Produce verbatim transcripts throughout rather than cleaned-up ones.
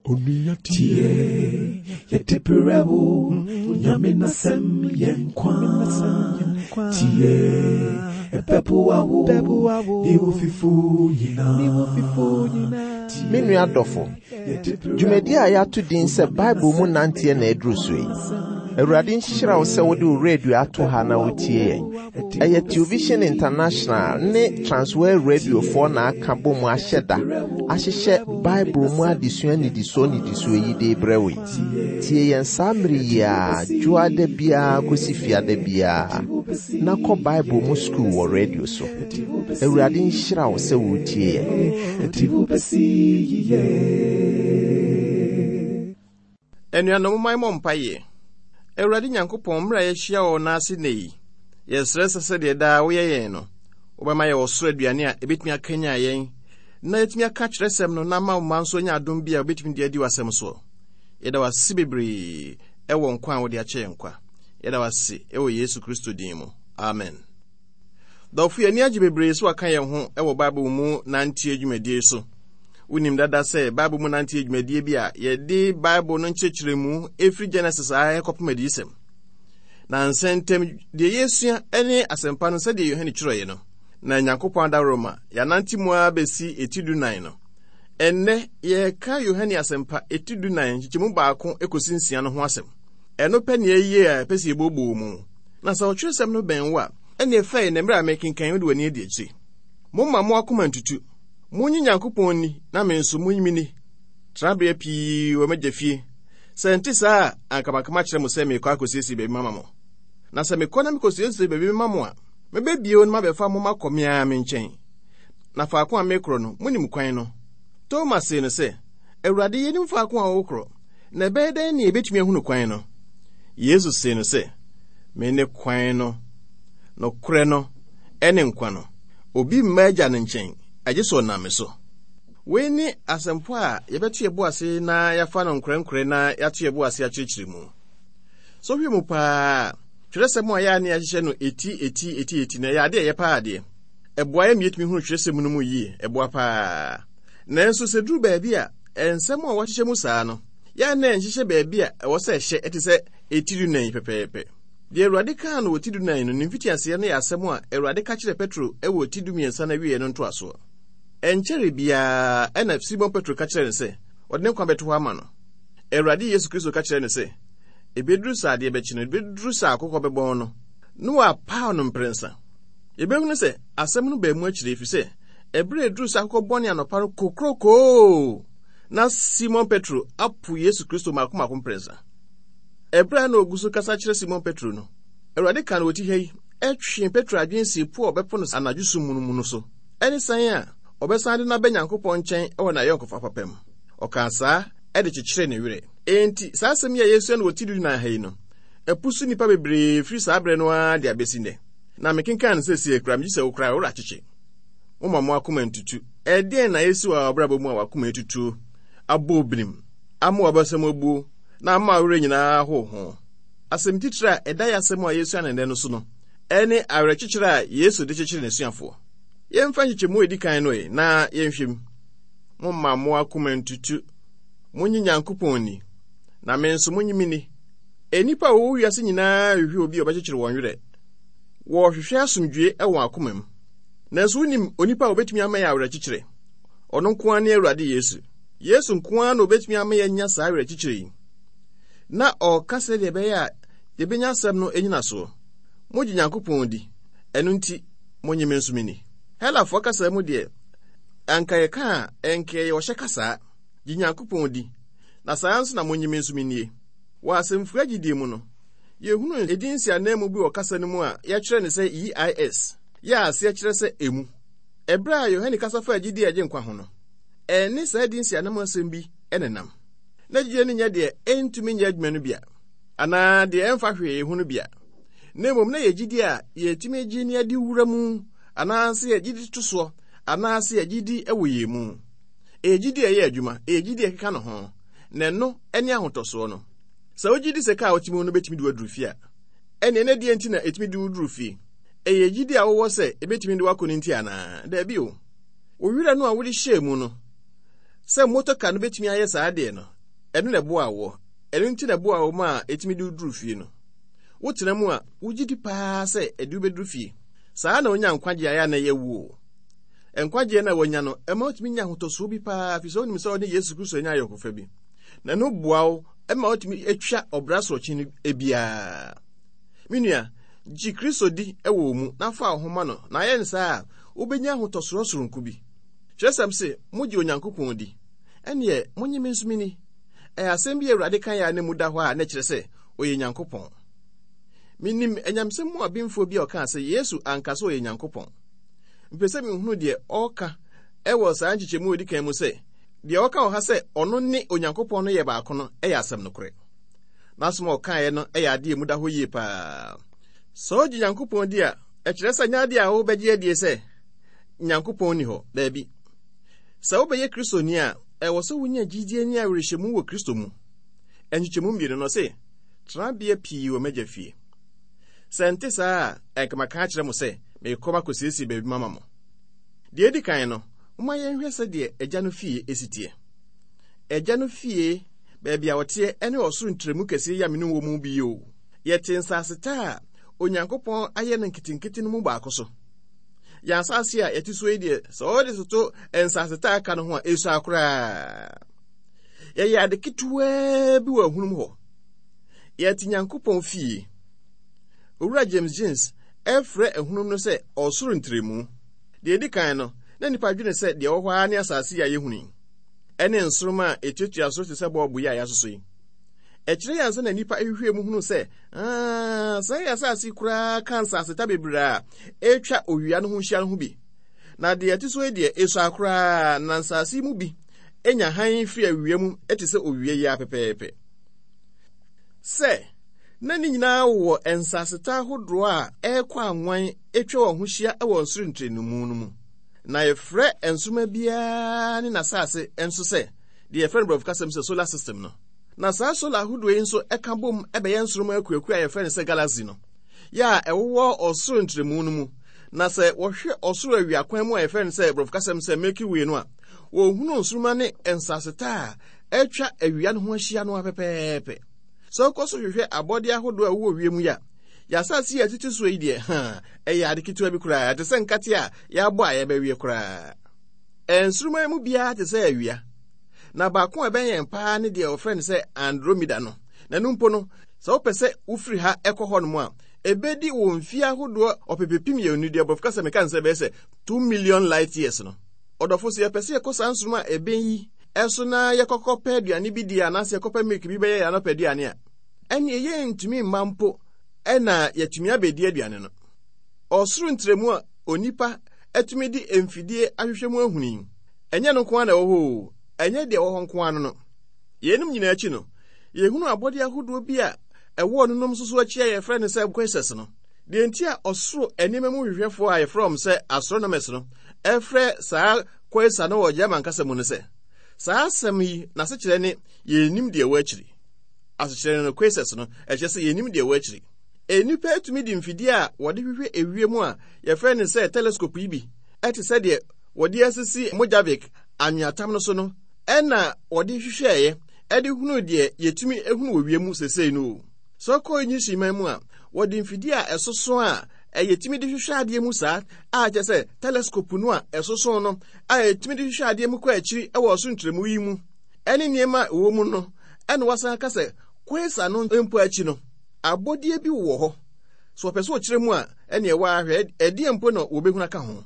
Tie, yɛde brɛ wo, Nyame n'asɛm yɛ nkwa. Tie, ɛbɛboa wo, ne wo fifo nyinaa. Me nua dɔfo, dwumadi a yɛato din sɛ Bible mu nanteɛ na aduru so yi. Awurade nhyira wo sɛ wode wo radio ato ha na wotie yɛn. Ɛyɛ Television International ne Transworld Radiofoɔ na aka bɔ mu ahyɛ da ahyehyɛ Bible mu adesua nnidisoɔ nnidisoɔ yi de brɛ wo yi. Tie yɛn saa mmere yi a dwoada biara kɔsi fiada biara na kɔ Bible mu sukuu wɔ radio so. Awurade nhyira wo sɛ wotie yɛn. Ɛde wo bɛsi yiye. Anuanom, momma yɛmmɔ mpaeɛ. Awurade Nyankopɔn, mmerɛ a yɛahyia wɔ n'ase nnɛ yi, yɛsrɛ sɛ sɛdeɛ daa woyɛ yɛn no, wobɛma yɛ ɔsoro aduane a ɛbɛtumi akanyan yɛn na yɛtumi aka kyerɛsɛm no na ama wo mma nso anya adom bi a wobɛtumi de adi w'asɛm soɔ. Yɛda w'ase bebree ɛwɔ nkwa a wode akyɛ yɛn kwa. Yɛda w'ase ɛwɔ Yesu Kristo din mu. Amen. Dɔfo, yɛn ani agye bebree sɛ waka yɛn ho ɛwɔ Bible mu nanteɛ dwumadie so. Wonim dada sɛ Bible mu nanteɛ dwumadie bi a yɛde Bible no nkyerɛkyerɛmu ɛfiri Genesis a ɛkɔpem Adiyisɛm. Na nsɛntɛm deɛ yɛsua ne asɛmpa no sɛdeɛ Yohane twerɛeɛ no, na Nyankopɔn adaworoma yɛanante mu ara bɛsi eti dunan no. Ɛnnɛ yɛreka Yohane asɛmpa eti dunan nkyekyɛmu baako kɔsi nsia no ho asɛm. Ɛno pɛ nea ɛyie a ɛpɛ sɛ yɛbooboo mu. Na sɛ ɔtwerɛsɛm no bɛn wo a, ɛne ɛfɛe na mmerɛ a mekenkan wode w'ani adi akyire. Momma mo akoma ntutu. Monnye Nyankopɔn nni na me nso monnye me nni. Tenabea pii wɔ m'agya fie. Sɛ nte saa a, anka maka makyerɛ mo sɛ merekɔ akɔsiesie baabi mama mo. Na sɛ mekɔ na mekɔsiesie baabi mema mo a, mɛba bio na mabɛfa mo makɔ me ara me nkyɛn. Na faako a mekorɔ no, monim kwan no. Toma see no sɛ, Awurade, yɛnim faako a wokorɔ, na ɛbɛyɛ dɛn ne yɛbɛtumi ahunu kwan no? Yesu see no sɛ, Me ne kwan no, nokorɛ no, ɛne nkwa no. Obi mma agya no nkyɛn, agye sɛ ɔnam me so. Wei ne asɛmpo a yɛbɛto yɛn bo ase na yɛafa no nkorɛnkorɛ na yɛato yɛn bo ase akyerɛkyerɛ mu. So hwɛ mu paa, twerɛsɛm a yɛa ne yɛahyehyɛ no eti eti eti eti na ɛyɛ ade a ɛyɛ paa adeɛ. Ɛboa yɛn ma yɛtumi hunu twerɛsɛm no mu yie, ɛboa paa. Nanso sɛ duru baabi a nsɛm a wɔahyehyɛ mu saa no, yɛa na ɛnhyehyɛ baabi a ɛwɔ sɛ ɛhyɛ ɛte sɛ eti dunan yi pɛpɛɛpɛ. Deɛ Awurade kaa no wɔ ti dunan no, ne mfitiaseɛ no yɛ asɛm a Awurade ka kyerɛɛ Petro wɔ ti dumiɛnsa no awieeɛ no ntoasoɔ. Ɛnkyɛre biara ɛna Simon Petro ka kyerɛɛ no sɛ ɔde ne nkwa bɛto hɔ ama no. Awurade Yesu Kristo ka kyerɛɛ no sɛ, ebeduru sɛ adeɛ bɛkye no, ebeduru sɛ akokɔ bɛbɔn no, na wapaw no mprɛnsa. Yɛbɛhunu sɛ asɛm no baa mu akyire, ɛfiri sɛ ɛberɛ a ɛduru sɛ akokɔ bɔne anɔpa no kokrokoo, na Simon Petro apo Yesu Kristo mmaako mmaako mprɛnsa. Ɛberɛ a na ogu so kasa kyerɛ Simon Petro no, Awurade ka no wɔ ti ha yi, ɛtwee Petro adwene sii po a ɔbɛpo no anadwo sum mu no mu no so, ɛne san a ɔbɛsan de no aba Nyankopɔn nkyɛn wɔ n'ayɔnkofa papa mu. Ɔkaa saa de kyekyeree ne werɛ. Enti, saa asɛm yi a yɛsua no wɔ ti dunan ha yi no, ɛpo so nnipa bebree firi saa berɛ no ara de abɛsi nnɛ. Na mekenkan no seesei koraa, megye sɛ wo koraa wo werɛ akyekye. Momma mo akoma ntutu. Ɛdeɛn na ɛsi wɔ w'abrabɔ mu a w'akoma atutuo, abɔ obirim, ama w'abasam abuo, na ama wo werɛ nyinaa ho ho? Asɛm titire a ɛda yɛ asɛm a yɛsua no nnɛ no so no, ɛne awerɛkyekyerɛ a Yesu de kyekyere n'asuafoɔ. Yɛmfa nkyekyɛmu a ɛdi kan no ɛ, na yɛnhwɛ mu. Momma mo akoma ntutu. Monnye Nyankopɔn nni, na me nso monnye me nni. Nnipa a wɔwɔ wiase nyinaa rehwehwɛ obi a ɔbɛkyekyere wɔn werɛ. Wɔrehwehwɛ asomdwoe wɔ wɔn akoma mu. Nanso wonim onipa a obetumi ama yɛn awerɛkyekyerɛ. Ɔno nko ara ne Awurade Yesu. Yesu nko ara na obetumi ama yɛanya saa awerɛkyekyerɛ yi. Na ɔreka sɛdeɛ ɛbɛyɛ a yɛbɛnya asɛm no nnyinasoɔ. Mogye Nyankopɔn di, ɛno nti monnye me nso me nni. Helafoɔ kasa mu deɛ, anka yɛka a, ɛnka ɛyɛ ɔhyɛ kasaa. Gye Nyankopɔn di, na saa nso na monnye me nso me nnie. Wɔ asɛmfua gyidie mu no, yɛhunu edin nsiananmu bi wɔ kasa no mu a yɛkyerɛ no sɛ E I S, yɛ a aseɛ kyerɛ sɛ emu. Ɛberɛ a Yohane kasa faa gyidie a ɛgye nkwa ho no, ɛne saa edin nsiananmu asɛm bi nenam. Na gyidie no nyɛ deɛ ɛntumi nyɛ adwuma no bia, anaa deɛ ɛmfa hwee ho no bia, na mmom na yɛ gyidie a yɛtumi gye ne adi wura mu, anaasɛ yɛgye di to soɔ, anaasɛ yɛgye di wɔ yɛn mu. Ɛyɛ gyidie a ɛyɛ adwuma, ɛyɛ gyidie a ɛkeka ne ho, na ɛno ne ahotɔsoɔ no. Sɛ wogye di sɛ kaa a wote mu no bɛtumi de wo aduru fie a, ɛnneɛ na deɛ nti na ɛtumi de wo duru fie? Ɛyɛ gyidie a wowɔ sɛ ɛbɛtumi de wo akɔ no nti anaa? Daabi o. Wo werɛ no a wode hyɛɛ mu no, sɛ motoka no bɛtumi ayɛ saa deɛ no, Ɛno na ɛboa woɔ. Ɛno nti na ɛboa wo ma a ɛtumi de wo duru fie no. Wotena mu a, wogye di paa sɛ ɛde wo bɛduru fie. Saa na wonya nkwagye a ɛyɛ a na ɛyɛ wuo. Nkwagyeɛ no a woanya no, ɛma wotumi nya ahotɔsoɔ bi paa, firi sɛ wonim sɛ wo ne Yesu Kristo anya ayɔnkofa bi. Na ɛno boa wo ma wotumi atwa ɔbra sorɔkye no biara. Me nua, gye Kristo di wɔ wo mu na fa wo ho ma no, na ayɛ no saa a, wobɛnya ahotɔsoɔ soronko bi. Kyerɛsɛm se, mogye Onyankopɔn di, ɛnneɛ monye me nso menni. Ɛyɛ asɛm bi a Awurade kaeɛ a na mu da hɔ a na ɛkyerɛ sɛ ɔyɛ Nyankopɔn. Menim anyamsɛm mu abenfoɔ bi a ɔkaa sɛ Yesu anka sɛ ɔyɛ Nyankopɔn. Mepɛ sɛ mehunu deɛ ɔreka wɔ saa nkyekyɛmu a ɛdi kan mu sɛ, deɛ ɔka wɔ ha sɛ ɔno ne Onyankopɔn no yɛ baako no yɛ asɛm nokorɛ. N'asɛm a ɔkaeɛ no yɛ adeɛ a emu da hɔ yie paa. Sɛ wogye Nyankopɔn di a, ɛkyerɛ sɛ nyɛ adeɛ a wobɛgye adie sɛ Nyankopɔn nni hɔ. Daabi. Sɛ wobɛyɛ Kristoni a, ɛwɔ sɛ wonya gyidie ne awerɛhyɛmu wɔ Kristo mu. Nkyekyɛmu mmienu no se, tenabea pii wɔ m'agya fie. Sɛ nte saa a, ɛnka maka akyerɛ mo sɛ merekɔ makɔsiesie baabi mama mo. Deɛ edi kan no, momma yɛnhwɛ sɛdeɛ agya no fie si teɛ. Agya no fie, baabi a ɔteɛ ne ɔsoro ntrɛmu kɛseɛ yi a me ne wɔ mu bi yi o. Yɛte nsaseta a Onyankopɔn ayɛ no nketenkete no mu baako so. Yɛn asase a yɛte so yi deɛ, sɛ wɔde toto nsaseta a aka no ho a, esua koraa. Yɛyɛ ade ketewaa bi wɔ ahunum hɔ. Yɛte Nyankopɔn fie. Owura James Jeans ɛfrɛ ahunum no sɛ ɔsoro ntrɛmu. Deɛ edi kan no, na nnipa dwene sɛ deɛ ɛwɔ hɔ ara ne asase yi a yɛhunu yi, ɛne nsoromma a ɛtuatua soro te sɛ bɔɔbo yi a yɛasosɔ yi. Ɛkyerɛ yɛn ansa na nnipa hwehwɛɛ mu hunu sɛ, aa, saa yɛ asase yi koraa ka nsaseta bebree a ɛretwa owia no ho hyia no ho bi. Na deɛ ɛte so yi deɛ, esua koraa, na nsase yi mu bi nya hann firi awia mu te sɛ owia yi ara pɛpɛɛpɛ. Sɛ na ne nyinaa wɔ nsaseta ahodoɔ a ɛrekɔ anwan atwa wɔn ho hyia wɔ ɔsoro ntrɛnimu no mu. Na yɛfrɛ nsoromma biara ne n'asase nso sɛ deɛ yɛfrɛ no borɔfo kasa mu sɛ solar system no. Na saa solar ahodoɔ yi nso ka bom bɛyɛ nsoromma akuakuo a yɛfrɛ no sɛ galaxy no, yɛ a ɛwowɔ ɔsoro ntrɛmu no mu. Na sɛ wɔhwɛ ɔsoro awia kwan mu a yɛfrɛ no sɛ borɔfo kasa mu sɛ Milky Way no a, wɔhunu nsoromma ne nsaseta a atwa awia no ho ahyia no ara pɛpɛɛpɛ. Sɛ wokɔ so hwehwɛ abɔdeɛ ahodoɔ a ɛwɔ wiem yi a, yɛn asase yi a ɛtete soɔ yi deɛ, ha, ɛyɛ ade ketewa bi koraa, ɛte sɛ nkate a yɛabɔ a yɛbɛweɛ koraa. Nsoromma yi mu biara te sɛ awia, na baako a ɛbɛn yɛn paa ne deɛ wɔfrɛ no sɛ Andromeda no. Na ɛno mpo no, sɛ wopɛ sɛ wofiri ha kɔ hɔnom a, ɛbɛdi wo mfeɛ ahodoɔ ɔpepepem mmienu, deɛ borɔfo kasa meka no sɛ ɛbɛyɛ sɛ two million light years no. Ɔdɔfo, sɛ yɛpɛ sɛ yɛkɔ saa nsoromma a ɛbɛn yi so na yɛkɔkɔpɛ aduane bi di anaasɛ yɛkɔpɛ milk bi bɛyɛ yɛn anɔpa aduane a, ɛnneɛ yɛntumi mma mpo na yɛatumi abɛdi aduane no. Ɔsoro ntrɛmu a onipa atumi de mfidie ahwehwɛ mu ahunu yi, ɛnyɛ no nko ara na ɛwɔ hɔ o, ɛnyɛ deɛ ɛwɔ hɔ nko ara no no. Yeinom nyinaa akyi no, yɛhunu abɔdeɛ ahodoɔ bi a ɛwɔ ɔnonom nso so akyi a yɛfrɛ no sɛ quasars no. Deɛ nti a ɔsoro nneɛma mu hwehwɛfoɔ a yɛfrɛ wɔn sɛ astronomers no frɛ saa quasar no wɔ German kasa mu no sɛ, saa asɛm yi n'asekyerɛ ne yɛnnim deɛ ɛwɔ akyiri. Asekyerɛ no quasars no, ɛkyerɛ sɛ yɛnnim deɛ ɛwɔ akyiri. Nnipa atumi de mfidie a wɔde hwehwɛ ewiem a yɛfrɛ no sɛ telescope yi bi te sɛ deɛ wɔde asisi Mojavik anweatam no so no ɛna wɔde hwehwɛeɛ ɛde hunu deɛ yɛtumi hunu wɔ wiem sesei no o. Sɛ wokɔ English man mu a, wɔde mfidie a ɛsoso a ɛyɛtumi de hwehwɛ adeɛ mu saa a kyerɛ sɛ telescope no a ɛsoso no a yɛtumi de hwehwɛ adeɛ mu kɔ akyiri wɔ ɔsoro ntrɛmu yi mu ɛne nneɛma a ɛwɔ mu no, ɛna wasan aka sɛ quasar no mpo akyi no, abɔdeɛ bi wɔ hɔ. So wɔpɛ sɛ wɔkyerɛ mu a, ɛne ɛwɔ ahwɛ ɛdeɛ mpo na wɔbɛhunu aka ho.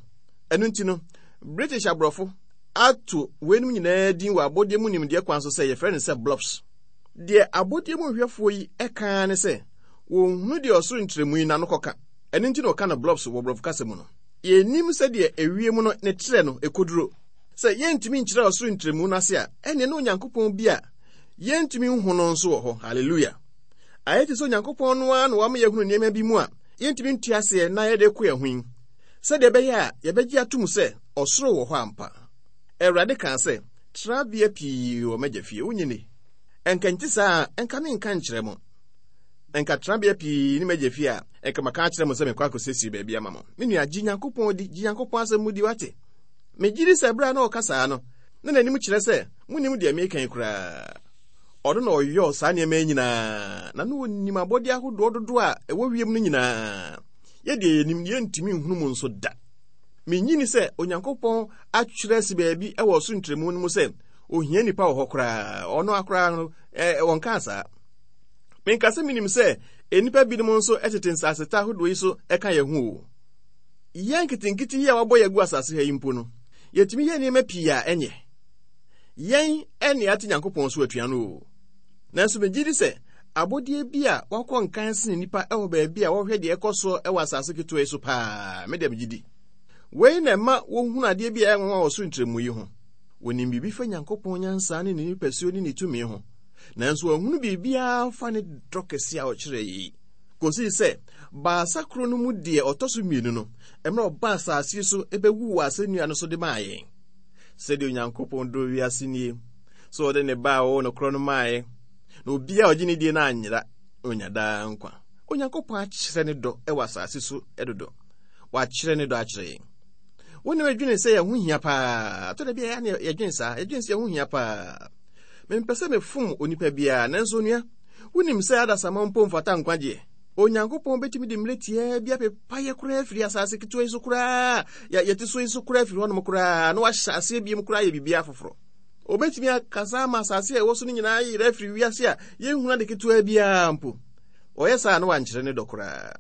Ɛno nti no, British aborɔfo ato weinom nyinaa din wɔ abɔdeɛ mu nimdeɛ kwan so sɛ yɛfrɛ no sɛ blobs. Deɛ abɔdeɛ mu hwehwɛfoɔ yi ɛka ne sɛ wɔnhunu deɛ ɔsoro ntrɛmu yi n'ano kɔka. Ɛno nti na wɔka no blobs wɔ borɔfo kasa mu no. Yɛnnim sɛdeɛ ewiem no ne trɛ no ɛkɔduro. Sɛ yɛntumi nkyerɛ ɔsoro ntrɛmu no ase a, ɛnneɛ na Onyankopɔn bi a yɛntumi nhu no nso wɔ hɔ. Hallelujah! Ayɛ te sɛ Onyankopɔn no ara na wama yɛahunu nneɛma bi mu a yɛntumi nte aseɛ na yɛde kɔ yɛn ho yi, sɛdeɛ ɛbɛyɛ a yɛbɛgye atom sɛ ɔsoro wɔ hɔ ampa. Awurade kaa sɛ, Trabea pii wɔ m'agya fie, wonye ni? Ɛnka nti saa a, ɛnka menka nkyerɛ mo. Ɛnka trabea pii ne m'agya fie a, ɛnka maka akyerɛ mo sɛ mekɔ akɔsiesie baabi ama mo. Me nua, gye Nyankopɔn di, gye Nyankopɔn asɛm mu di, wate? Megye di sɛ berɛ a na ɔka saa no, na n'anim kyerɛ sɛ, monnim deɛ mereka yi koraa. Ɔno na ɔyɔɔ saa nneɛma yi nyinaa, na na ɔnim abɔdeɛ ahodoɔ dodoɔ a ɛwɔ wiem no nyinaa. Yɛdeɛ yɛnim, yɛntumi nhunu mu nso da. Menyini sɛ Onyankopɔn atwerɛ asi baabi wɔ ɔsoro ntrɛmu no mu sɛ ohia nnipa wɔ hɔ koraa. Ɔno akoraa no, ɛ, wɔnkaa saa. Menka sɛ menim sɛ nnipa binom nso tete nsaseta ahodoɔ yi so ka yɛn ho o. Yɛn nketenkete yi a wɔabɔ yɛn agu asase ha yi mpo no, yɛtumi yɛ nneɛma pii a ɛnyɛ. Yɛn ɛne ate Nyankopɔn so atua no o. Nanso megye di sɛ abɔdeɛ bi a wakɔ nkan sene nnipa wɔ baabi a wɔhwɛ deɛ ɛkɔ soɔ wɔ asase ketewa yi so paa. Me deɛ megye di. Wei na ɛma wɔhunu adeɛ bi a ɛyɛ nwanwa wɔ soro ntrɛmu yi ho. Wɔnim biribi fa Nyankopɔn nyansa ne ne nipasuo ne ne tumi ho. Nanso wɔahunu biribiara fa ne dɔ kɛse a ɔkyerɛ yi. Kɔsii sɛ baasa koro no mu deɛ ɔtɔ so mmienu no, mmerɛ ɔbaa asase so bɛwu wɔ asɛnnua no so de maa yɛn. Sɛdeɛ Onyankopɔn dɔ wiase nie, sɛ ɔde ne ba a ɔwɔ no korɔ no maaeɛ, na obiara a ɔgye ne die no anyera, na onya daa nkwa. Onyankopɔn akyerɛ ne dɔ wɔ asase so dodo. Wakyerɛ ne dɔ akyerɛ yɛn. Wo ne medwene sɛ yɛn ho hia paa. Atɔ da bi a yɛdwene saa, yɛdwene sɛ yɛn ho hia paa. Mempɛ sɛ mefom onipa biara, nanso onua, wonim sɛ adasamma mpo mfata nkwagyeɛ. Onyankopɔn bɛtumi de mmerɛ tiaa bi apepa yɛ koraa afiri asase ketewa yi so koraa, yɛte so yi so koraa afiri hɔnom koraa, na wahyɛ aseɛ biom koraa yɛ biribiara foforɔ. Obɛtumi akasa ama asase a ɛwɔ so no nyinaa yerɛ afiri wiase a yɛnhunu ade ketewa biara mpo. Ɔyɛ saa na wankyerɛ ne dɔ koraa.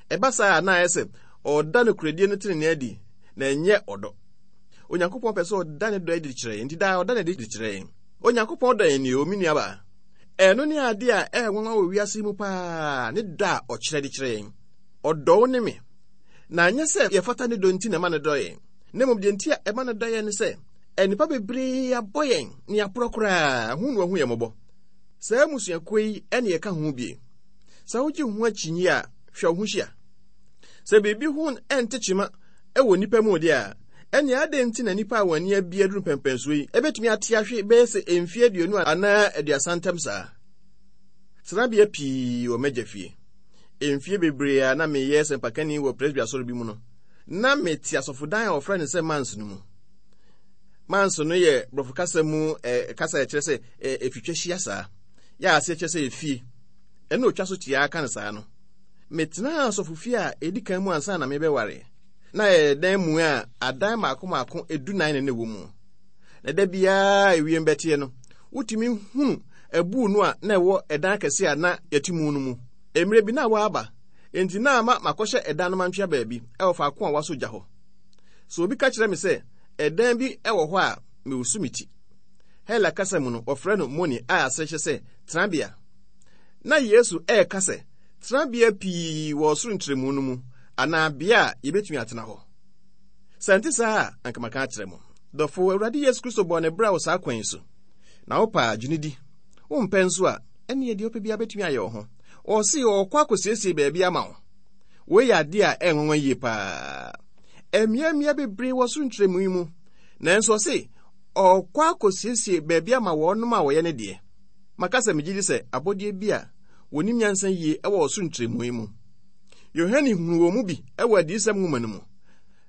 Ɛba saa na ayɛ sɛ ɔda nokorɛdie no tenenee adi, na ɛnyɛ ɔdɔ. Onyankopɔn pɛ sɛ ɔda ne dɔ adi kyerɛ yɛn, nti daa ɔda ne adi kyerɛ yɛn. Onyankopɔn dɔ yɛn ni o, me nuabaa. Ɛno ne ade a ɛyɛ nwanwa wɔ wiase mu paa, ne dɔ a ɔkyerɛ de kyerɛ yɛn. Ɔdɔ wo ne me. Na anyɛ sɛ yɛfata ne dɔ nti na ɛma no dɔ yɛn. Na mmom deɛ nti a ɛma no dɔ yɛn ne sɛ, nnipa bebree abɔ yɛn ne aporɔ koraa, ho na wahu yɛn mmɔbɔ. Saa mmusuakuo yi ne yɛka ho bie. Sɛ wogye ho akyinnye a, hwɛ wo ho hyia. Sɛ biribi ho nte kyema wɔ nnipa mu deɛ a, ɛnea adɛn nti na nnipa a wɔn ani abie aduru mpɛmpɛnsoɔ yi ebetumi ate ahwe bɛyɛ sɛ mfeɛ aduonu anaa aduasa ntam saa? Tenabea pii wɔ m'agya fie. Mfeɛ bebree a na meyɛ sɛmpakani wɔ Presby asɔre bi mu no, na mete asɔfodan a wɔfrɛ no sɛ Mans no mu. Mans no yɛ borɔfo kasa mu eh, kasa a ɛkyerɛ sɛ eh, efitwa hyia saa. Yɛ a aseɛ kyerɛ sɛ efie. Ɛna otwa so tiaa ka no saa no. Metenaa asɔfofie a edi kan mu ansa na mebɛware. Na ɛyɛ dan mu a adan mmaako mmaako edunan na na ɛwɔ mu. Na da biara ewiem bɛteɛ no, wotumi hunu abuu no a na ɛwɔ ɛdan kɛse a na yɛte mu no mu. Mmerɛ bi na wɔaba, enti na ama makɔhyɛ ɛdan no mantwea baabi ɛwɔ faako a wɔasɔ gya hɔ. So obi ka kyerɛ me sɛ ɛdan bi wɔ hɔ a, mewusu me ti. Hela kasa mu no, wɔfrɛ no moni a aseɛ kyerɛ sɛ tenabea. Na Yesu ɛreka sɛ tenabea pii wɔ ɔsoro ntrɛmu no mu anaa bea a yɛbɛtumi atena hɔ. Sɛ nte saa a, anka maka akyerɛ mo. Dɔfo, Awurade Yesu Kristo bɔɔ ne bra wɔ saa kwan yi so. Na wopɛ a, gye no di. Wompɛ nso a, ɛneɛ deɛ wopɛ biara bɛtumi ayɛ wo ho. Ɔse ɔrekɔ akɔsiesie baabi ama wo. Wei yɛ adeɛ a ɛyɛ nwanwa yie paa. Mmeammea bebree wɔ soro ntrɛmu yi mu. Nanso ɔse ɔrekɔ akɔsiesie baabi ama wɔnom a wɔyɛ ne deɛ. Maka sɛ megye di sɛ abɔdeɛ bi a wɔnim nyansa yie wɔ ɔsoro ntrɛmu yi mu. Yohane hunuu wɔn mu bi wɔ adiyisɛm nwoma no mu,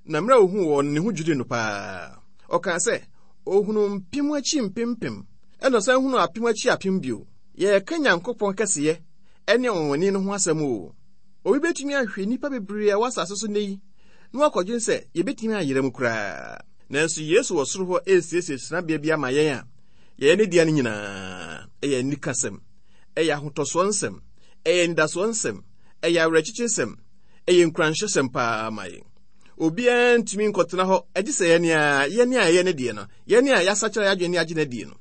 na mmerɛ a ohuu wɔn no, ne ho dwirii no paa. Ɔkaa sɛ, ohunuu mpem akyi mpempem, ɛna ɔsan hunuu apem akyi apem bio. Yɛreka Nyankopɔn kɛseyɛ ne ɔnwanwani no ho asɛm o. Obi bɛtumi ahwɛ nnipa bebree a ɛwɔ asase so nnɛ yi na wakɔdwene sɛ yɛbɛtumi ayera mu koraa. Nanso Yesu wɔ soro hɔ resiesie tenabea bi ama yɛn a yɛyɛ ne dea no nyinaa. Ɛyɛ anikasɛm, ɛyɛ ahotɔsoɔ nsɛm, ɛyɛ anidasoɔ nsɛm, ɛyɛ awerɛkyekyesɛm, ɛyɛ nkuranhyɛsɛm paa ma yɛn. Obiara ntumi nkɔtena hɔ agye sɛ yɛn a yɛn a yɛyɛ ne deɛ no, yɛn a yɛasakyera yɛn adwene ne agye no adie no.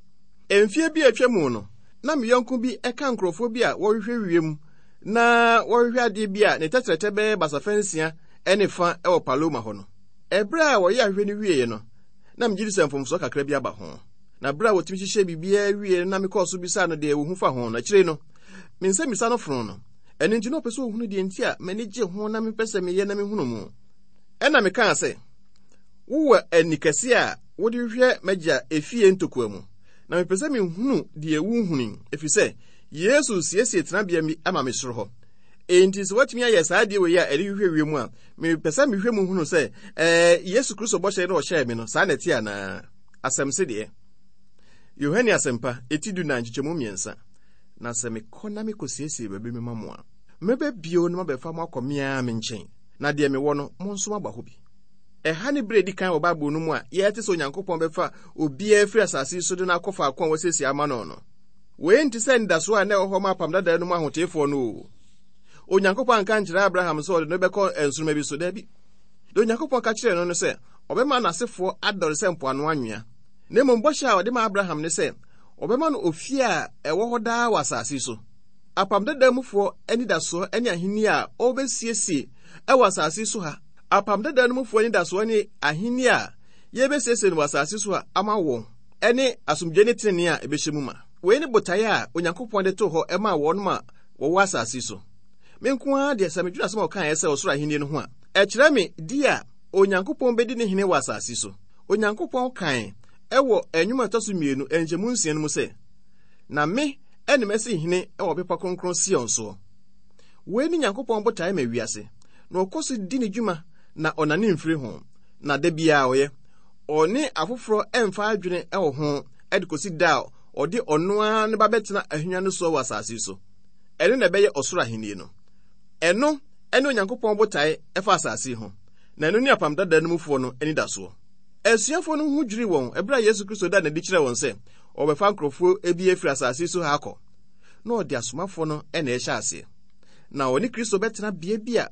Mfeɛ bi a atwa mu no, na me yɔnko bi ka nkurɔfoɔ bi a wɔhwehwɛ wiem na wɔhwehwɛ adeɛ bi a ne tɛtrɛtɛ bɛyɛ basafa nsia ne fa wɔ Paloma hɔ no. Ɛberɛ a wɔyɛ ahwehwɛ no wieeɛ no, na megye di sɛ mfomsoɔ kakra bi aba ho. Na berɛ a wɔtumi hyehyɛ biribiara wieeɛ no na mekɔɔ so bisaa no deɛ wɔhu fa ho no, akyire no, me nsɛmmisa no fonoo no. Ɛno nti na ɔpɛ sɛ ɔhunu deɛ nti a m'ani gye ho na mepɛ sɛ meyɛ na mehunu mu. Ɛna mekaa sɛ, wowɔ ani kɛse a wode hwehwɛ m'agya efie ntokua mu, na mepɛ sɛ mehunu deɛ wohunu yi, ɛfiri sɛ Yesu siesie tenabea bi ama me soro hɔ. Enti sɛ woatumi ayɛ saa adeɛ wei a ɛde hwehwɛ wiem a, mepɛ sɛ mehwɛ mu hunu sɛ ɛɛ Yesu Kristo bɔhyɛ no ɔhyɛɛ me no, saa na ɛte anaa? Asɛm se deɛ. Yohane Asɛmpa, eti du-nan nkyekyɛmu mmiɛnsa. Na sɛ mekɔ na mekɔsiesie baabi mema mo a, mɛba bio na mabɛfa mo akɔ me ara me nkyɛn, na deɛ mewɔ no, mo nso moaba hɔ bi. Ɛha ne bere a edi kan wɔ Bible no mu a yɛte sɛ Onyankopɔn bɛfa obiara afiri asase yi so de no akɔ faako a wasiesie ama no no. Wei nte sɛ anidasoɔ a na ɛwɔ hɔ ma apam dada no mu ahoteefoɔ no o. Onyankopɔn anka nkyerɛ Abraham sɛ ɔde no bɛkɔ nsoromma bi so, dabi. Deɛ Onyankopɔn ka kyerɛɛ no no sɛ ɔbɛma n'asefoɔ adɔre sɛ mpoano anwea. Na mmom bɔhyɛ a ɔde ma Abraham ne sɛ ɔbɛma no ofie a ɛwɔ hɔ daa wɔ asase so. Apam dada mufoɔ anidasoɔ ne ahenni a ɔbɛsiesie ɛwɔ asase so ha. Apam dada no mufoɔ anidasoɔ ne ahenni a yɛbɛsiesie no wɔ asase so ha ama wɔn ɛne asomdwoe ne tenenee a ɛbɛhyɛ mu ma. Wei ne botaeɛ a Onyankopɔn de too hɔ ɛmaa wɔn a wɔwɔ asase so. Me nko ara deɛ sɛ medwene asɛm a ɔkaeɛ sɛ ɔsoro ahenni no ho a, ɛkyerɛ me di a Onyankopɔn bɛdi ne hene wɔ asase so. Onyankopɔn kae ɛwɔ nnwom a ɛtɔ so mmienu nkyɛmu nsia no mu sɛ, na me ɛne mɛsi hene ɛwɔ bepɔ kronkron Sion soɔ. Wei ne Nyankopɔn botaeɛ ma wiase, na ɔkɔ so di ne dwuma na ɔnane mfiri ho, na da biara ɔyɛ. Ɔne afoforɔ ɛmfa adwene ɛwɔ ho ɛde kɔsi da a ɔde ɔno ara ne ba bɛtena ahennwa no soɔ wɔ asase so. Ɛno na ɛbɛyɛ ɔsoro ahenni no. Ɛno ɛne Onyankopɔn botaeɛ ɛfa asase ho, na ɛno ne apam dada no mufoɔ no anidasoɔ. Asuafoɔ no ho dwiri wɔn ɛberɛ a Yesu Kristo da n'adi kyerɛ wɔn sɛ ɔbɛfa nkurɔfoɔ bi afiri asase so ha akɔ. Na ɔde asomafoɔ no ɛna ɛhyɛ aseɛ. Na ɔne Kristo bɛtena bea bi a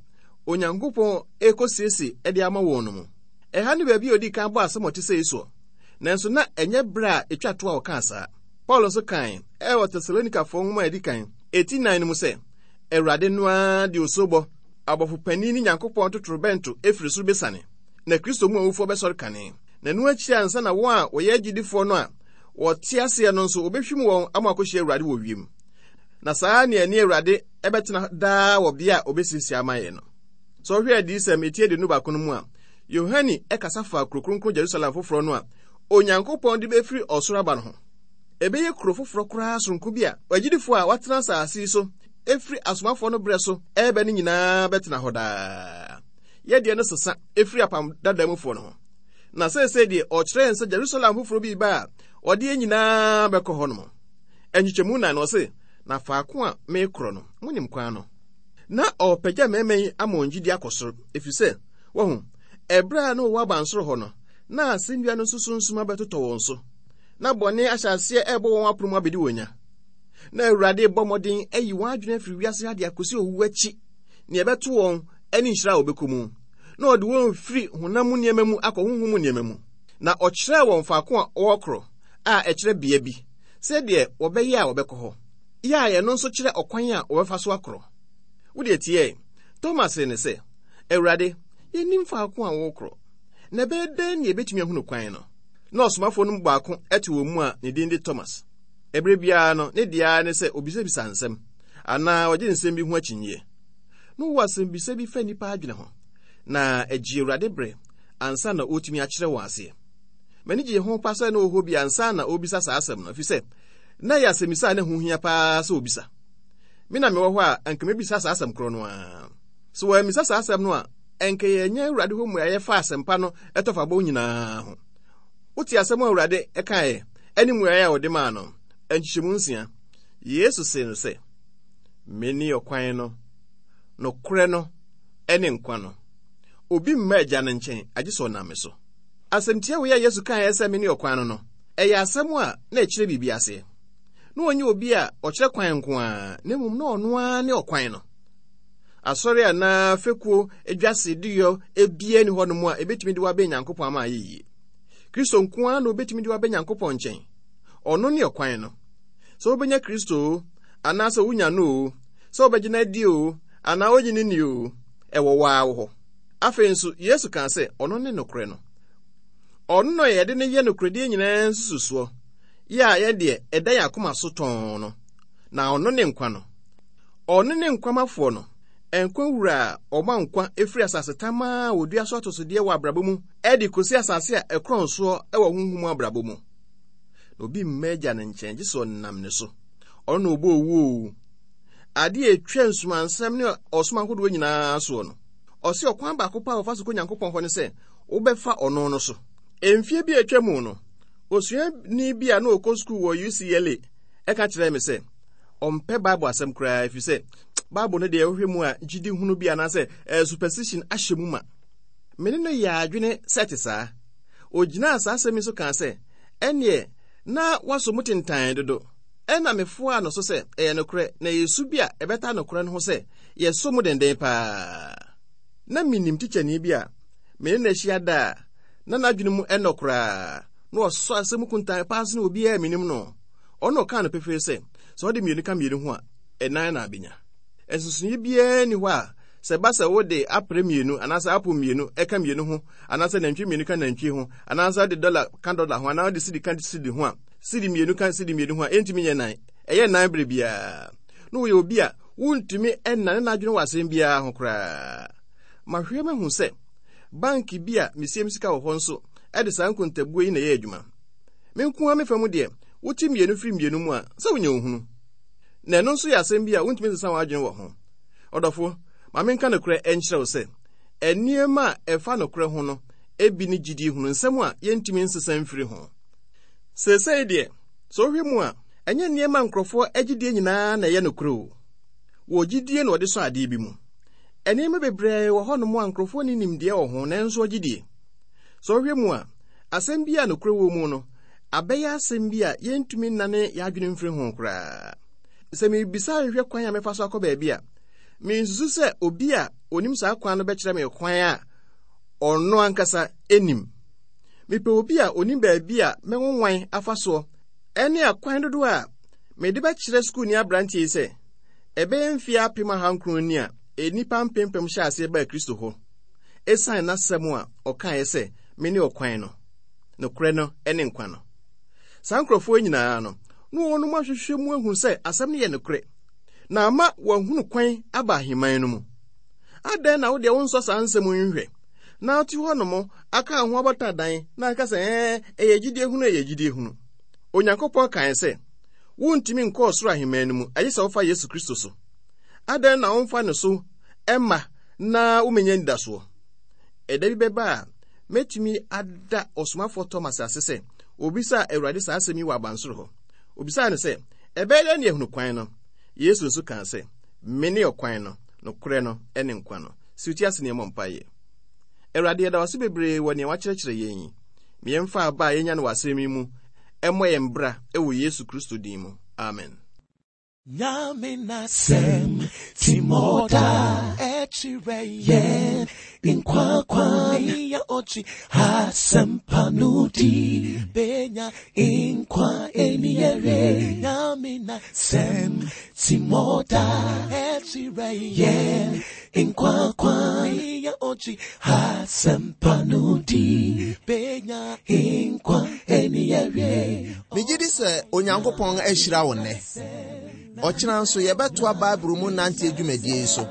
Onyankopɔn rekɔsiesie de ama wɔn no mu. Ɛha ne baabi a odi kan bɔ asɛm a ɔte sɛ yi soɔ. Nanso na ɛnyɛ berɛ a ɛtwa to a ɔkaa saa. Paul nso kae ɛwɔ Tesalonikafoɔ nwoma a ɛdi kan, eti nnan no mu sɛ, Awurade no ara de osobɔ, abɔfo panin ne Nyankopɔn totorobɛnto efiri soro besiane, na Kristo mu awufoɔ bɛsɔre kane. Na ɛno akyi ansa na wɔn a wɔyɛ agyidifoɔ no a wɔte aseɛ no nso wɔbɛhwim wɔn ama akɔhyia Awurade wɔ wiem. Na saa ne ɛne Awurade ɛbɛtena daa wɔ bea a obesiesie ama yɛn no. Sɛ ɔhwɛ adiyisɛm eti aduonu baako no mu a, Yohane ɛkasa fa kuro kronkron Jerusalem foforɔ no a Onyankopɔn de bɛfiri ɔsoro aba no ho. Ɛbɛyɛ kuro foforɔ koraa soronko bi a agyidifoɔ a wɔatena asase yi so efiri asomafoɔ no berɛ so ɛrebɛ no nyinaa bɛtena hɔ daa. Yɛdeɛ no sesa efiri apam dada mufoɔ no ho. Na seesei deɛ ɔkyerɛ yɛn sɛ Jerusalem foforɔ bi ba a ɔde yɛn nyinaa bɛkɔ hɔ nom. Nkyekyɛmu nan no ɔse, na faako a mekorɔ no, monim kwan no. Na ɔpagya mmarima yi ama wɔn gyidi akɔ soro, ɛfiri sɛ, wɔho, ɛberɛ a na wɔwɔ abansoro hɔ no, na asɛnnua no nso sunsum abɛtotɔ wɔn so. Na bɔne ahyɛ aseɛ ɛrebɔ wɔn apono mu abɛdi wɔn nya. Na Awurade bɔ mmɔden ayi wɔn adwene afiri wiase ha de akɔsi owu akyi, nea ɛbɛto wɔn ne nhyira a wɔbɛkɔ mu. Na ɔde wɔn firi honam mu nneɛma mu akɔ honhom mu nneɛma mu. Na ɔkyerɛɛ wɔn faako a wɔrekorɔ a ɛkyerɛ bea bi, sɛdeɛ wɔbɛyɛ a wɔbɛkɔ hɔ. Yɛ a ɛno nso kyerɛ ɔkwan a wɔbɛfa so akorɔ. Wode tie, Thomas ne sɛ, Awurade, yɛnnim faako a wɔrekorɔ, na ɛbɛyɛ dɛn na yɛbɛtumi ahunu kwan no? Na ɔsomafoɔ no mu baako te wɔn mu a ne din de Thomas. Ɛberɛ biara no, ne deɛ ara ne sɛ obisabisa nsɛm, anaa ɔgye nsɛm bi ho akyinnyeɛ. Na ɔwɔ asɛmbisa bi fa nnipa adwene ho, na ɛgye Awurade berɛ ansa na ɔretumi akyerɛ wɔn aseɛ. M'ani gye ho pa sɛ na ɔwɔ hɔ bi ansa na ɔrebisa saa asɛm no, ɛfiri sɛ na ɛyɛ asɛmmisa a na ɛho hia paa sɛ ɔbisa. Me na mewɔ hɔ a, anka mebisa saa asɛm korɔ no ara. Sɛ wɔammisa saa asɛm no a, ɛnka yɛnyɛ Awurade hɔ mmuaeɛ fa asɛmpa no ɛtɔfabɔ nyinaa ho. Wote asɛm a Awurade kaeɛ ɛne mmuaeɛ a ɔde maa no, nkyekyɛmu nsia. Yesu see no sɛ, Mene ɔkwan no, nokorɛ no, ɛne nkwa no. Obi mma Agya no nkyɛn agye sɛ ɔnam me so. Asɛmtia wei a Yesu kaeɛ sɛ mene ɔkwan no no, ɛyɛ asɛm a na ɛkyerɛ biribi aseɛ. Na ɔnyɛ obi a ɔkyerɛ kwan nko ara, na mmom na ɔno ara ne ɔkwan no. Asɔre anaa fekuo adwase duyɔ ebia ni hɔnom a ebetumi de wabɛn Nyankopɔn ama ayɛ yie. Kristo nko ara na obetumi de wabɛn Nyankopɔn nkyɛn. Ɔno ne ɔkwan no. Sɛ wobɛnya Kristo o, anaasɛ wonya no o, sɛ wobɛgye no adi o, anaa wogye no nni o, ɛwɔ wo ara wo hɔ. Afei nso, Yesu kaa sɛ ɔno ne nokorɛ no. Ɔno na yɛde no yɛ nokorɛdie nyinaa nsususoɔ, yɛ a yɛdeɛ ɛda yɛn akoma so tɔnn no, na ɔno ne nkwa no. Ɔno ne nkwamafoɔ no, nkwa wura a ɔma nkwa efiri asase tamaa a wɔdua so atosodeɛ wɔ abrabɔ mu ɛde kɔsi asase a ɛkorɔn soɔ ɛwɔ honhom mu abrabɔ mu. Na obi mma Agya no nkyɛn gye sɛ ɔnam ne so. Ɔno na ɔbɔ owuo o. Adeɛ a etwa nsumansɛm ne ɔsom ahodoɔ nyinaa soɔ no, ɔse ɔkwan baako pa a wɔfa so kɔ Nyankopɔn hɔ ne sɛ wobɛfa ɔno no so. Mfie bi a atwa mu no, Osuani bi a na ɔkɔ sukuu wɔ U C L A ɛka kyerɛɛ me sɛ ɔmpɛ Bible asɛm koraa, ɛfiri sɛ Bible no deɛ, wohwɛ mu a, gyidi hunu bi anaasɛ eh, superstition ahyɛ mu ma. Mene no yɛ adwene sɛ te saa. Ogyinaa saa asɛm yi so kaa sɛ ɛneɛ na waso mu tentan dodo. Ɛna mefoaa no so sɛ ɛyɛ nokorɛ, na ɛyɛ su bi a ɛbɛta nokorɛ no ho sɛ yɛsɔ mu denden paa. Na menim tikyani bi a mene no ahyia da a na n'adwene mu ɛnɔ koraa na ɔsɔ asɛm kuntan paa sene obiara menim no. Ɔno ɔkaa no pefee sɛ sɛ ɔde mmienu ka mmienu ho a, ɛnan na abɛnya. Nsonsonoeɛ biara ni hɔ a sɛ ba sɛ wode aprɛ mmienu anaasɛ apo mmienu ɛka mmienu ho, anaasɛ nantwi mmienu ka nantwi ho, anaasɛ wode dɔla ka dɔla ho, anaa wode sidi ka sidi ho a, sidi mmienu ka sidi mmienu ho a, ɛntumi nyɛ nan. Ɛyɛ nan berɛ biara na wɔyɛ obi a wontumi ɛnane n'adwene wɔ asɛm biara ho koraa. Mahwɛ mahu sɛ bank bi a mesiem sika wɔ hɔ nso ɛde saa nkontabuo yi na ɛyɛ adwuma. Me nko ara mefa mu deɛ, wote mmienu firi mmienu mu a, sɛ wonya ohunu, na ɛno nso yɛ asɛm bi a wontumi nsesa w'adwene wɔ ho. Ɔdɔfo, ma menka nokorɛ ɛnkyerɛ wo sɛ nneɛma a ɛfa nokorɛ ho no ebi ne gyidie hunu, nsɛm a yɛntumi nsesa mfiri ho. Seesei deɛ, sɛ wohwɛ mu a, ɛnyɛ nneɛma nkurɔfoɔ agyidie nyinaa na ɛyɛ nokorɛ o. Wɔ gyidie na wɔde sɔ adeɛ bi mu. Nneɛma bebree wɔ hɔnom a nkurɔfoɔ ne nimdeɛ wɔ ho, nanso ɔgyidie. Sɛ wohwɛ mu a, asɛm bi a nokorɛ wɔ mu no abɛyɛ asɛm bi a yɛntumi nnane yɛadwene mfiri ho koraa. Sɛ mebisa hwehwɛ kwan a mɛfa so akɔ baabi a, mensusu sɛ obi a onim saa kwan no bɛkyerɛ me kwan a ɔno ankasa anim. Mepɛ obi a onim baabi a mɛnwanwan afa soɔ ɛne akwan dodoɔ a mede bɛkyerɛ sukuuni aberanteɛ yi sɛ ɛbɛyɛ mfeɛ apem ahankron ni a nnipa mpempem hyɛ aseɛ baa Kristo hɔ ɛsiane n'asɛm a ɔkaeɛ sɛ, "Mene ɔkwan no, nokorɛ no ne nkwa no." Saa nkurɔfoɔ nyinaa no na wɔnom ahwehwɛ mu ahu sɛ asɛm no yɛ nokorɛ na ama wɔahunu kwan aba ahemman no mu. Adɛn na wodeɛ wonsɔ saa nsɛm yi nhwɛ na wote hɔ nom aka ho abɔta dan na aka sɛ ɛɛ ɛyɛ gyidie hunu, ɛyɛ gyidie hunu? Onyankopɔn kae sɛ wontumi nkɔ ɔsoro ahemman no mu agye sɛ wofa Yesu Kristo so. Adɛn na womfa ne so ɛma na womenya anidasoɔ? Ɛda bi bɛba a mɛtumi ada ɔsomafoɔ Thomas ase sɛ obisaa Awurade saa asɛm yi wɔ abansoro hɔ. Obisaa no sɛ, "Ɛbɛyɛ dɛn ne ahunu kwan no?" Yesu nso kaa sɛ, "Mene ɔkwan no, nokorɛ no ne nkwa no." Si wo ti ase nneɛma mpaeɛ. Awurade, yɛda wase bebree wɔ nea wakyerɛkyerɛ yɛn yi. Meyɛmfa aba a yɛnya no wɔ asɛm yi mu ɛmmɔ yɛn bra ɛwɔ Yesu Kristo din mu. Amen. Nyame nasɛm timoda ɛkyerɛ yɛn nkwa kwan ya ɔkyi asɛmpa no di benya nkwa eni yɛre. Nyame nasɛm timoda ɛkyerɛ yɛn nkwa kwan ya ɔkyi asɛmpa no di benya nkwa eni yɛre. Megye di sɛ Onyankopɔn ahyira wo nnɛ. Ɔkyena nso yɛbɛtoa Bible mu nante dwumadie yi so.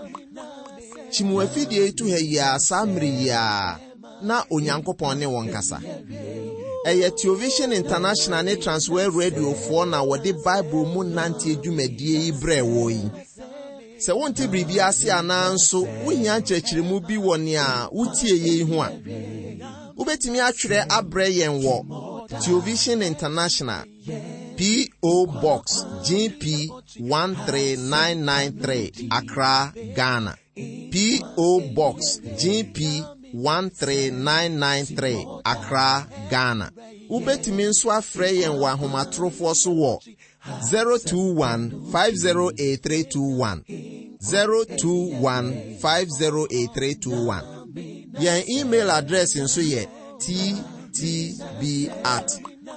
Kyimu afidie yi to ha yi a saa mmere yi a na Onyankopɔn ne wɔn kasa. Ɛyɛ Television International ne Transworld Radiofoɔ na wɔde Bible mu nante dwumadie yi brɛɛ wɔ yi. Sɛ wonte biribi ase anaa nso wohia nkyerɛkyerɛmu bi wɔ nea wotie yei ho a, wobɛtumi atwerɛ abrɛ yɛn wɔ Television International, P O. Box G P one three nine nine three, Accra, Ghana. P O. Box G P one three nine nine three, Accra, Ghana. Wobɛtumi nso afrɛ yɛn wɔ ahomatorofoɔ so wɔ zero two one five zero eight three two one, zero two one five zero eight three two one. Yɛn email address nso yɛ T T B at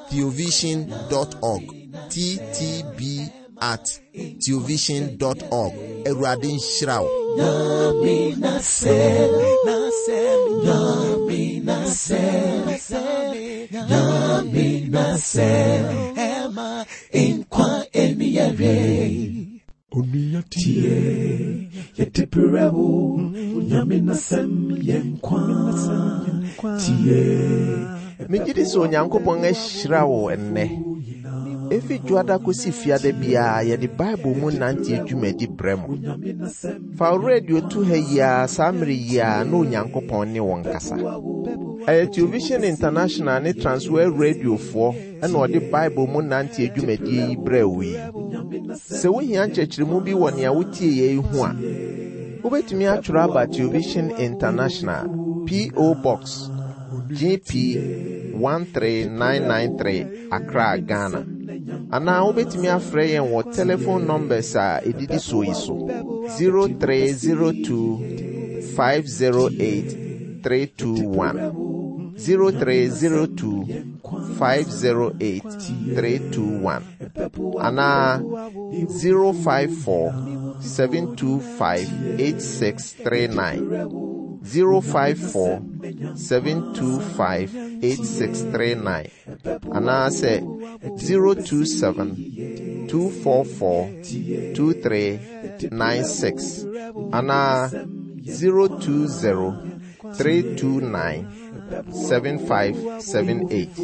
theovision dot org, T T B at theovision dot org. Awurade nhyira wo. Nyame nasɛm, nasɛm, Nyame nasɛm, Nyame nasɛm, ɛma nkwa eni yɛre. Onua tie, yɛde brɛ wo, Nyame nasɛm yɛ nkwa. Tie. Megye di sɛ Onyankopɔn ahyira wo ɛnnɛ. Ɛfi Dwoada kɔsi Fiada biara yɛde Bible mu nante dwumadi brɛ mo. Fa wo radio to ha yi ara saa mmere yi ara na Onyankopɔn ne wɔn kasa. Ɛyɛ Television International ne Transworld Radiofoɔ ɛna ɔde Bible mu nante adwumadie yi brɛɛ wo yi. Sɛ wohia nkyerɛkyerɛmu bi wɔ nea wotie yɛ yi ho a, wobɛtumi atwerɛ aba Television International, P O. Box G P one three nine nine three, Accra, Ghana. Anaa wobɛtumi afrɛ yɛn wɔ telephone numbers a ɛdidi soɔ yi so: zero three zero two five zero eight three two one, zero three zero two five zero eight three two one, anaa zero five four seven two five eight six three nine, zero five four seven two five eight six three nine, anaasɛ zero two seven two four four two three nine six, anaa zero two zero three two nine seven five seven eight,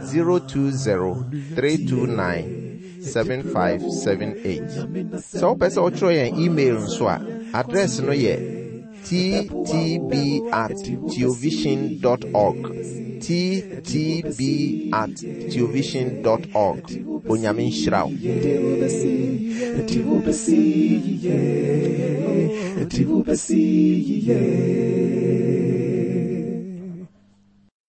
zero two zero three two nine seven five seven eight. Sɛ wopɛ sɛ wotwerɛ yɛn email nso a, address no yɛ T T B at theovision dot org, T T B at theovision dot org. Onyame nhyira wo. Yɛde wo bɛsi yie, yɛde wo bɛsi yie.